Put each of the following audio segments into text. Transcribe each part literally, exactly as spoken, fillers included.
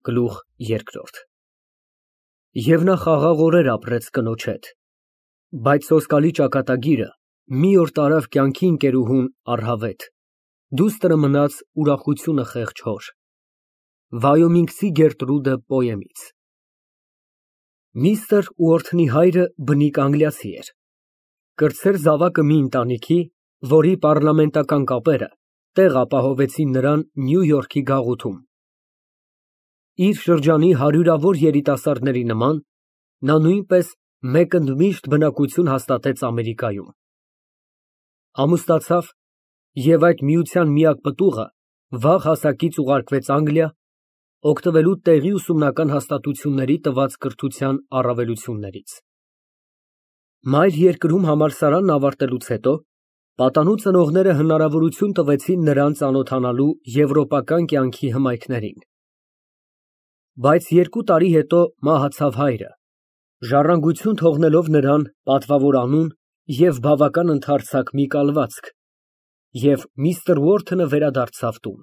Գլուխ երկրորդ Եվ նա խաղաղ օրեր ապրեց կնոջ հետ, բայց սոսկալի ճակատագիրը մի օր տարավ կյանքի ընկերուհուն առհավետ, դուստրը մնաց ուրախությունը խեղճ հոր։ Վայոմինգցի Գերտրուդը պոեմից Միստր Ուորթնի հայրը բնիկ անգլիացի էր, կրտսեր զավակը մի ընտանիքի, որի պառլամենտական կապերը տեղ ապահովեցին նրան Նյու Յորքի գաղութում։ Իր շրջանի հարյուրավոր երիտասարդների նման, նա նույնպես մեկ ընդմիշտ բնակություն հաստատեց Ամերիկայում։ Ամուսնացավ և այդ միության միակ պտուղը վաղ հասակից ուղարկվեց Անգլիա, օգտվելու տեղի ուսումնական հաստատությունների տված կրթության առավելություններից։ Մայր երկրում համալսարանն ավարտելուց հետո պատանու ծնողները հնարավորություն տվեցին նրան ծանոթանալու եվրոպական կյանքի հմայքներին։ Բայց երկու տարի հետո մահացավ հայրը, ժառանգություն թողնելով նրան պատվավոր անուն և բավական ընդարձակ մի կալվածք, և միստր Ուորթնը վերադարձավ տուն։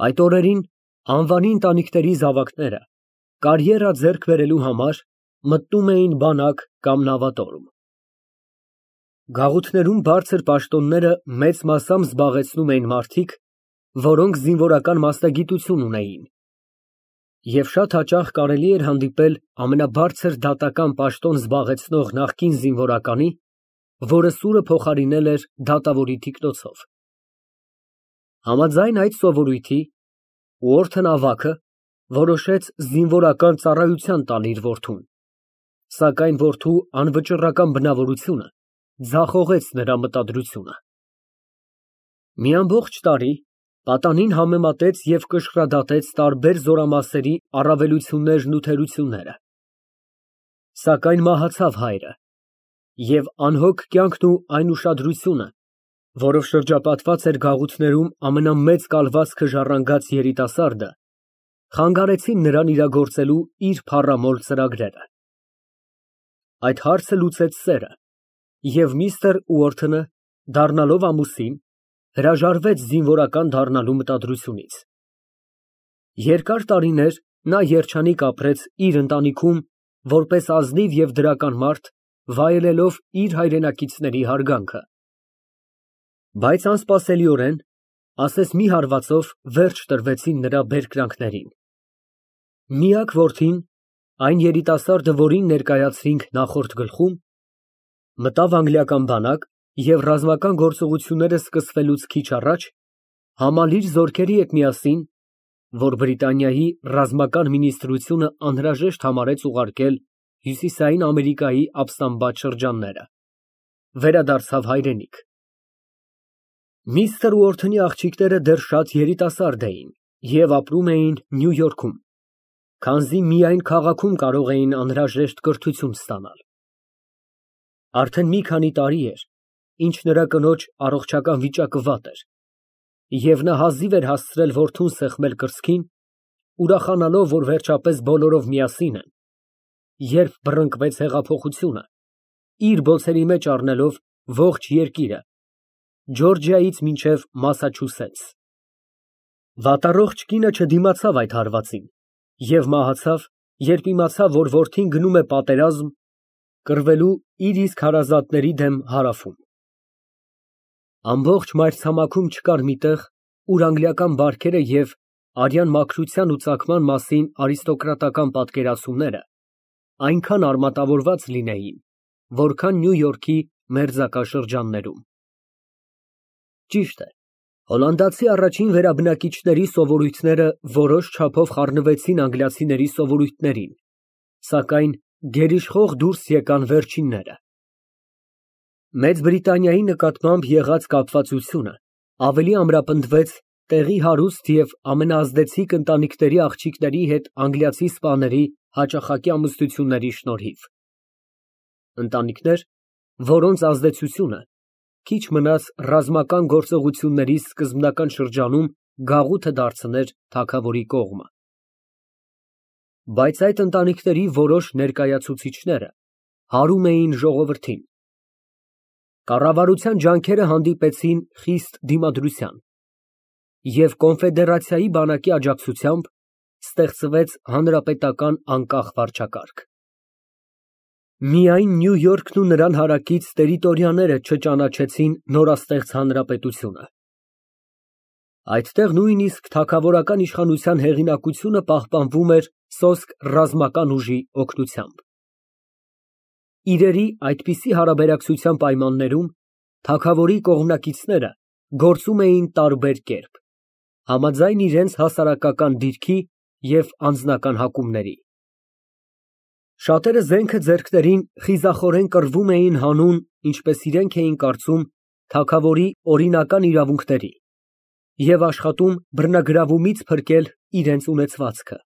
Այդ օրերին անվանի ընտանիքների զավակները կարիերա ձեռք բերելու համար մտնում էին բանակ կամ նավատորմ։ Գաղութներում բարձր պաշտոնները մեծ մասամբ զբաղեցնում էին մարդիկ, որոնք զինվորական մասնագիտություն ունեին, և շատ հաճախ կարելի էր հանդիպել ամենաբարձր դատական պաշտոն զբաղեցնող նախկին զինվորականի, որը սուրը փոխարինել էր դատավորի թիկնոցով։ Համաձայն այդ սովորույթի, Ուորթն ավագը որոշեց զինվորական ծառայության տալ իր որդուն, սակայն որդու անվճռական բնավորությունը ձախողեց նրա մտադրությունը։ Մի ամբողջ տարի պատանին համեմատեց և կշռադատեց տարբեր զորամասերի առավելություններն ու թերությունները։ Սակայն մահացավ հայրը, և անհոգ կյանքն ու այն ուշադրությունը, որով շրջապատված էր գաղութներում ամենամեծ կալվածքը ժառանգած երիտասարդը, խանգարեցին նրան իրագործելու իր փառամոլ ծրագրերը։ Այդ հարցը լուծեց սերը, և միստր Ուորթնը, դառնալով ամուսին, հրաժարվեց զինվորական դառնալու մտադրությունից։ Երկար տարիներ նա երջանիկ ապրեց իր ընտանիքում որպես ազնիվ և դրական մարդ, վայելելով իր հայրենակիցների հարգանքը։ Բայց անսպասելիորեն, ասես մի հարվածով, վերջ տրվեցին նրա բերկրանքներին։ Միակ որդին, այն երիտասարդը, որին ներկայացրինք նախորդ գլխում, մտավ անգլիական բանակ և ռազմական գործողությունները սկսվելուց քիչ առաջ համալիր զորքերի հետ միասին, որ Բրիտանիայի ռազմական մինիստրությունը անհրաժեշտ համարեց ուղարկել Հյուսիսային Ամերիկայի ապստամբած շրջանները, վերադարձավ հայրենիք։ Միստր Ուորթնի աղջիկները դեռ շատ երիտասարդ էին և ապրում էին Նյու Յորքում, քանզի միայն քաղաքում կարող էին անհրաժեշտ կրթություն ստանալ։ Արդեն մի քանի տարի էր, ինչ նրա կնոջ առողջական վիճակը վատ էր, և նա հազիվ էր հասցրել որդուն սեղմել կրծքին, ուրախանալով, որ վերջապես բոլորով միասին են, երբ բռնկվեց հեղափոխությունը, իր բոցերի մեջ առնելով ողջ երկիրը, Ջորջիայից մինչև Մասաչուսեթս։ Վատառողջ կինը չդիմացավ այդ հարվածին և մահացավ, երբ իմացավ, որ որդին գնում է պատերազմ, կռվելու իր իսկ հարազատների դեմ Հարավում։ Ամբողջ մայրցամաքում չկար մի տեղ, ուր անգլիական բարքերը և արյան մաքրության ու ծագման մասին արիստոկրատական պատկերացումները այնքան արմատավորված լինեին, որքան Նյու Յորքի մերձակա շրջաններում։ Ճիշտ է, հոլանդացի առաջին վերաբնակիչների սովորույթները որոշ չափով խառնվեցին անգլիացիների սովորույթներին, սակայն գերիշխող դուրս եկան վերջինները։ Մեծ Բրիտանիայի նկատմամբ եղած կապվածությունը ավելի ամրապնդվեց տեղի հարուստ և ամենաազդեցիկ ընտանիքների աղջիկների հետ անգլիացի սպաների հաճախակի ամուսնությունների շնորհիվ։ Ընտանիքներ, որոնց ազդեցությունը քիչ մնաց ռազմական գործողությունների սկզբնական շրջանում գաղութը դարձներ թագավորի կողմը։ Բայց այդ ընտանիքների որոշ ներկայացուցիչները հարում էին ժողովրդին։ Կառավարության ջանքերը հանդիպեցին խիստ դիմադրության, և կոնֆեդերացիայի բանակի աջակցությամբ Ստեղծվեց հանրապետական անկախ վարչակարգ։ Միայն Նյու Յորքն ու նրան հարակից տերիտորիաները չճանաչեցին նորաստեղծ հանրապետությունը։ Այդտեղ նույնիսկ թագավորական իշխանության հեղինակությունը պահպանվում էր սոսկ ռազմական ուժի օգնությամբ։ Իրերի այդպիսի հարաբերակցության պայմաններում թագավորի կողմնակիցները գործում էին տարբեր կերպ, համաձայն իրենց հասարակական դիրքի և անձնական հակումների։ Շատերը զենքը ձեռքներին խիզախորեն կռվում էին հանուն, ինչպես իրենք էին կարծում, թագավորի օրինական իրավունքների և աշխատում բռնագրավումից փրկել իրենց ունեցվածքը։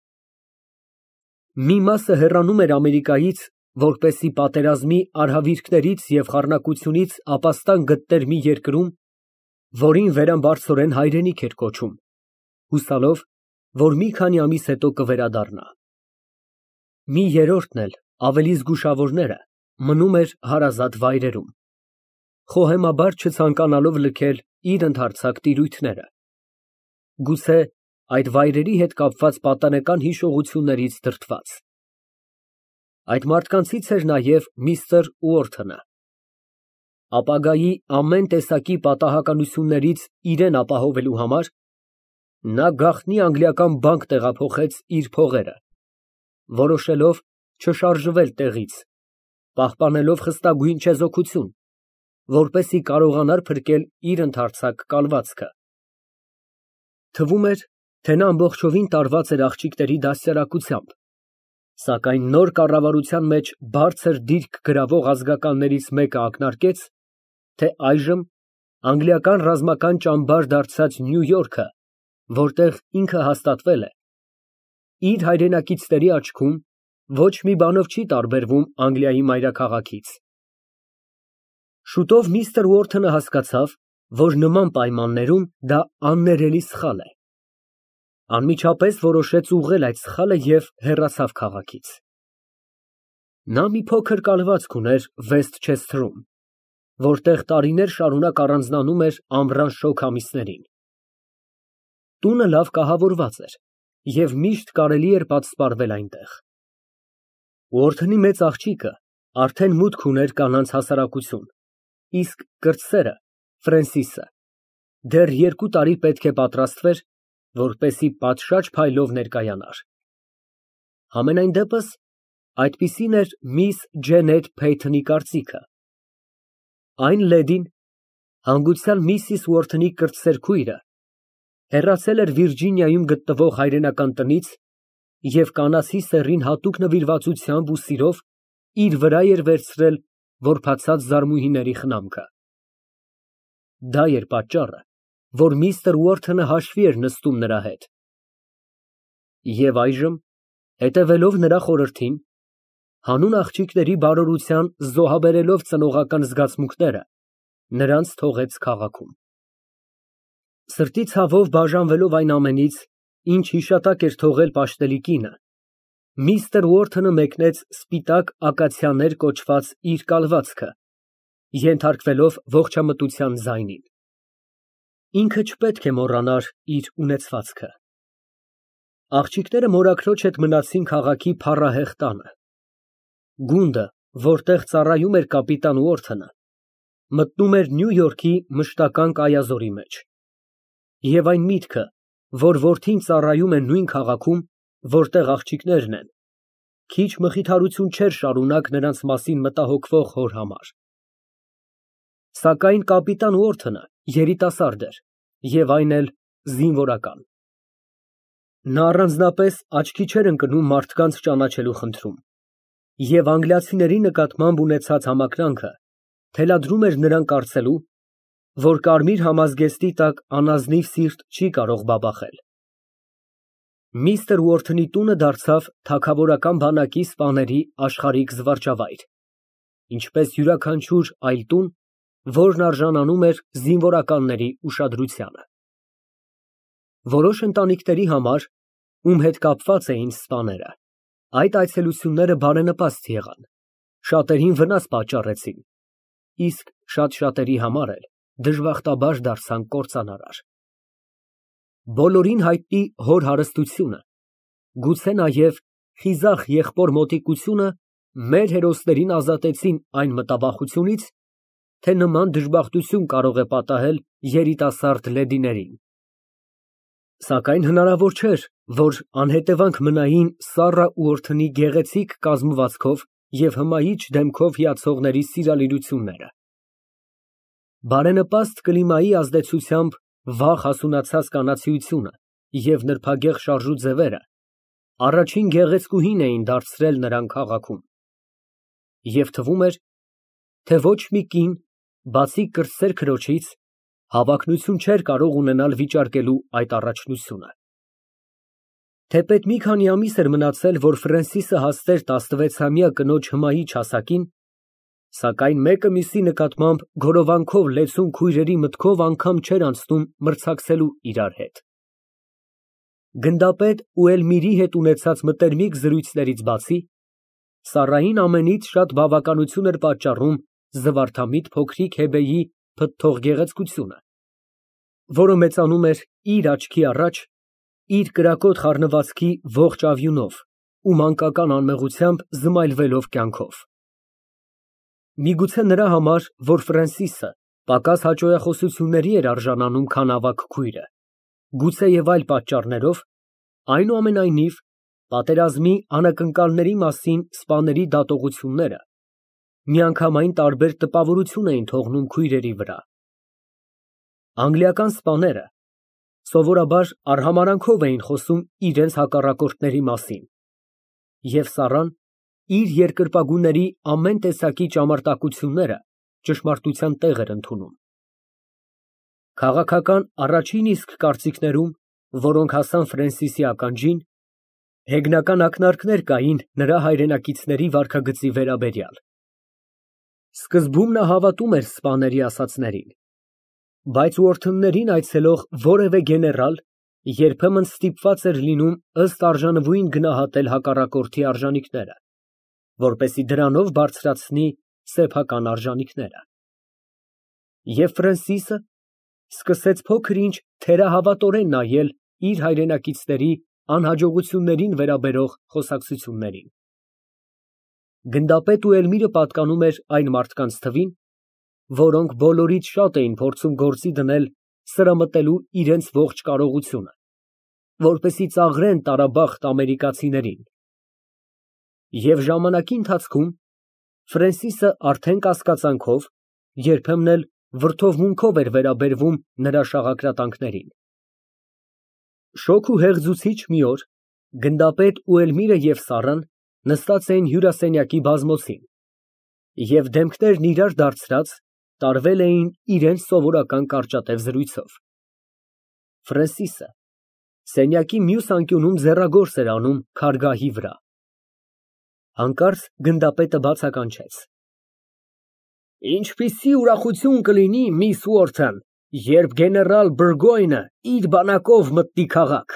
Մի մասը հեռանում էր Ամերիկայից, որպեսզի պատերազմի արհավիրքներից և խառնակությունից ապաստան գտներ մի երկրում, որին վերամբարձորեն հայրենիք էր կոչում, հուսալով, որ մի քանի ամիս հետո կվերադառնա։ Մի երրորդն էլ, ավելի զգուշավորները, մնում էր հարազատ վայրերում, խոհեմաբար չցանկանալով լքել իր ընդարձակ տիրույթները, գուցե այդ վայրերի հետ կապված պատանեկան հիշողություններից դրդված։ Այդ մարդկանցից էր նաև միստր Ուորթոնը։ Ապագայի ամեն տեսակի պատահականություններից իրեն ապահովելու համար նա գաղտնի անգլիական բանկ տեղափոխեց իր փողերը, որոշելով չշարժվել տեղից, պահպանելով խստագույն չեզոքություն, որպեսզի կարողանար փրկել իր ընդարձակ կալվածքը։ Թվում էր, թե նա ամբողջովին տարված էր աղջիկների դաստիարակությամբ, սակայն նոր կառավարության մեջ բարձր դիրք գրավող ազգականներից մեկը ակնարկեց, թե այժմ անգլիական ռազմական ճամբար դարձած Նյու Յորքը, որտեղ ինքը հաստատվել է, իր հայրենակիցների աչքում ոչ մի բանով չի տարբերվում Անգլիայի մայրաքաղաքից։ Շուտով միստր Ուորթոնը հասկացավ, որ նման պայմաններում դա աններելի սխալ է։ Անմիջապես որոշեց ուղղել այդ սխալը և հեռացավ քաղաքից։ Նա մի փոքր կալվածք ուներ Վեսթչեսթերում, որտեղ տարիներ շարունակ առանձնանում էր ամռան շոգ ամիսներին։ Տունը լավ կահավորված էր և միշտ կարելի էր պատսպարվել այնտեղ։ Ուորթոնի մեծ աղջիկը արդեն մուտք ուներ կանանց հասարակություն, իսկ կրտսերը՝ Ֆրենսիսը, դեռ երկու տարի պետք է պատրաստվեր, որպեսզի պատշաճ փայլով ներկայանար։ Համենայն դեպս, այդպիսին էր միս Ջենետ Փեյթոնի կարծիքը։ Այն լեդին, հանգուցյալ միսիս Ուորթոնի կրտսեր քույրը, հեռացել էր Վիրջինիայում գտնվող հայրենական տնից և կանացի սեռին հատուկ նվիրվածությամբ ու սիրով իր վրա էր վերցրել որբացած զարմուհիների խնամքը։ Դա էր պատճառը, որ միստր Ուորթոնը հաշվի էր նստում նրա հետ։ Եվ այժմ, հետևելով նրա խորհրդին, հանուն աղջիկների բարօրության զոհաբերելով ծնողական զգացմունքները, նրանց թողեց քաղաքում։ Սրտի ցավով բաժանվելով այն ամենից, ինչ հիշատակ էր թողել պաշտելի կինը, միստր Ուորթոնը մեկնեց սպիտակ ակացիաներ կոչված իր կալվածքը, ենթարկվելով ողջամտության ձայնին։ Ինքը չպետք է մոռանար իր ունեցվածքը։ Աղջիկները մորաքրոջ հետ մնացին քաղաքի փառահեղ տանը։ Գունդը, որտեղ ծառայում էր կապիտան Ուորթոնը, մտնում էր Նյու Յորքի մշտական կայազորի մեջ։ Եվ այն միտքը, որ որդին ծառայում է նույն քաղաքում, որտեղ աղջիկներն են, քիչ մխիթարություն չէր շարունակ նրանց մասին մտահոգվող հոր համար։ Սակայն կապիտան Ուորթոնը երիտասարդ էր և այն էլ զինվորական։ Նա առանձնապես աչքի չէր ընկնում մարդկանց ճանաչելու խնդրում, և անգլիացիների նկատմամբ ունեցած համակրանքը թելադրում էր նրան կարծելու, որ կարմիր համազգեստի տակ անազնիվ սիրտ չի կարող բաբախել։ Միստր Ուորթոնի տունը դարձավ թագավորական բանակի սպաների աշխարհիկ զվարճավայր, ինչպես յուրաքանչյուր այլ տուն, որն արժանանում էր զինվորականների ուշադրությանը։ Որոշ ընտանիքների համար, ում հետ կապված էին սպաները, այդ այցելությունները բարենպաստ եղան, շատերին վնաս պատճառեցին, իսկ շատ֊շատերի համար էլ դժբախտաբար դարձան կործանարար։ Բոլորին հայտնի հոր հարստությունը Գուցե նաև խիզախ եղբոր մոտիկությունը մեր հերոսներին ազատեցին այն մտավախությունից, թե նման դժբախտություն կարող է պատահել երիտասարդ լեդիներին։ Սակայն հնարավոր չէր, որ անհետևանք մնային Սառա ու Օրթնի գեղեցիկ կազմվածքով և հմայիչ դեմքով հիացողների սիրալիրությունները։ Բարենպաստ կլիմայի ազդեցությամբ վաղ հասունացած կանացիությունը և նրբագեղ շարժու ձևերը առաջին գեղեցկուհին էին դարձրել նրան քաղաքում, և թվում էր, թե ոչ մի կին, բացի կրտսեր քրոջից, հավակնություն չէր կարող ունենալ վիճարկելու այդ առաջնությունը։ Թեպետ մի քանի ամիս էր մնացել, որ Ֆրենսիսը հասներ տասնվեցամյա կնոջ հմայիչ հասակին, սակայն մեկը մյուսի նկատմամբ գորովանքով լեցուն քույրերի մտքով անգամ չէր անցնում մրցակցելու իրար հետ։ Գնդապետ ու Էլմիրի հետ ունեցած մտերմիկ զրույցներից բացի, Սառային ամենից շատ բավականություն էր պատճառում զվարթամիտ փոքրիկ Հեբեի փթթող գեղեցկությունը, որը մեծանում էր իր աչքի առաջ իր կրակոտ խառնվածքի ողջ ավյունով ու մանկական անմեղությամբ զմայլվելով կյանքով։ Միգուցե նրա համար, որ Ֆրենսիսը պակաս հաճոյախոսությունների էր արժանանում, քան ավագ քույրը, գուցե և այլ պատճառներով, այնուամենայնիվ, պատերազմի անակնկալների մասին սպաների դատողությունները միանգամայն տարբեր տպավորություն էին թողնում քույրերի վրա։ Անգլիական սպաները սովորաբար արհամարհանքով էին խոսում իրենց հակառակորդների մասին, և Սառան իր երկրպագուների ամեն տեսակի ճամարտակությունները ճշմարտության տեղ էր ընդունում։ Քաղաքական առաջին իսկ կարծիքներում, որոնք հասան Ֆրենսիսի ականջին, հեգնական ակնարկներ կային նրա հայրենակիցների վարքագծի վերաբերյալ։ Սկզբում նա հավատում էր սպաների ասածներին, բայց Ուորթններին այցելող որևէ գեներալ երբեմն ստիպված էր լինում ըստ արժանվույն գնահատել հակառակորդի արժանիքները, որպեսզի դրանով բարձրացնի սեփական արժանիքները։ Եվ Ֆրենսիսը սկսեց փոքր֊ինչ թերահավատորեն նայել իր հայրենակիցների անհաջողություններին վերաբերող խոսակցություններին։ Գնդապետ ու Էլմիրը պատկանում էր այն մարդկանց թվին, որոնք բոլորից շատ էին փորձում գործի դնել սրամտելու իրենց ողջ կարողությունը, որպեսզի ծաղրեն տարաբախտ ամերիկացիներին։ Եվ ժամանակի ընթացքում Ֆրենսիսը արդեն կասկածանքով, երբեմն էլ վրդովմունքով էր վերաբերվում նրա շաղակրատանքներին։ Շոգ ու հեղձուցիչ մի օր գնդապետ ու Էլմիրը և Սառան նստած էին հյուրասենյակի բազմոցին և դեմքներն իրար դարձրած տարվել էին իրենց սովորական կարճատև զրույցով։ Ֆրենսիսը սենյակի մյուս անկյունում ձեռագործ էր անում քարգահի վրա։ Հանկարծ գնդապետը բացականչեց. Ինչպիսի ուրախություն կլինի, միս Ուորթն, երբ գեներալ Բուրգոյնը իր բանակով մտնի քաղաք։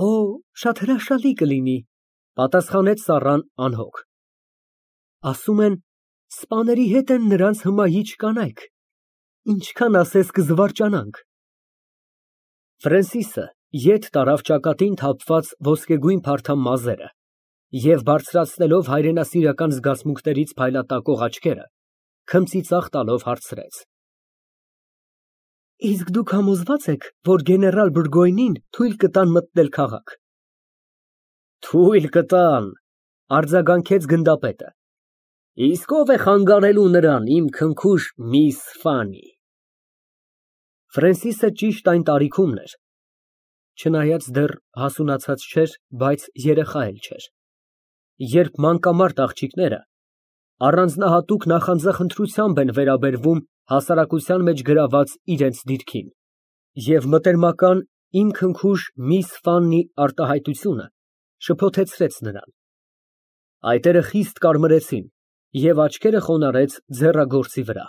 Օ, շատ հրաշալի կլինի, պատասխանեց Սառան անհոգ։ Ասում են, սպաների հետ են նրանց հմայիչ կանայք, ինչքան ասես կզվարճանանք։ Ֆրենսիսը ետ տարավ ճակատին թափված ոսկեգույն փարթամ մազերը և բարձրացնելով հայրենասիրական զգացմունքներից փայլատակող աչքերը, քմծիծաղ տալով հարցրեց. Իսկ դուք համոզվա՞ծ եք, որ գեներալ Բուրգոյնին թույլ կտան մտնել քաղաք։ Թույլ կտան, արձագանքեց գնդապետը։ Իսկ ով է խանգարելու նրան, իմ քնքուշ միս Ֆանի։ Ֆրենսիսը ճիշտ այն տարիքումն էր, չնայած դեռ հասունացած չէր, բայց երեխա էլ չէր, երբ մանկամարտ աղջիկները առանձնահատուկ նախանձախնդրությամբ են վերաբերվում հասարակության մեջ գրաված իրենց դիրքին, և մտերմական իմ քնքուշ միս Ֆաննի արտահայտությունը շփոթեցրեց նրան։ Այտերը խիստ կարմրեցին և աչքերը խոնարհեց ձեռագործի վրա։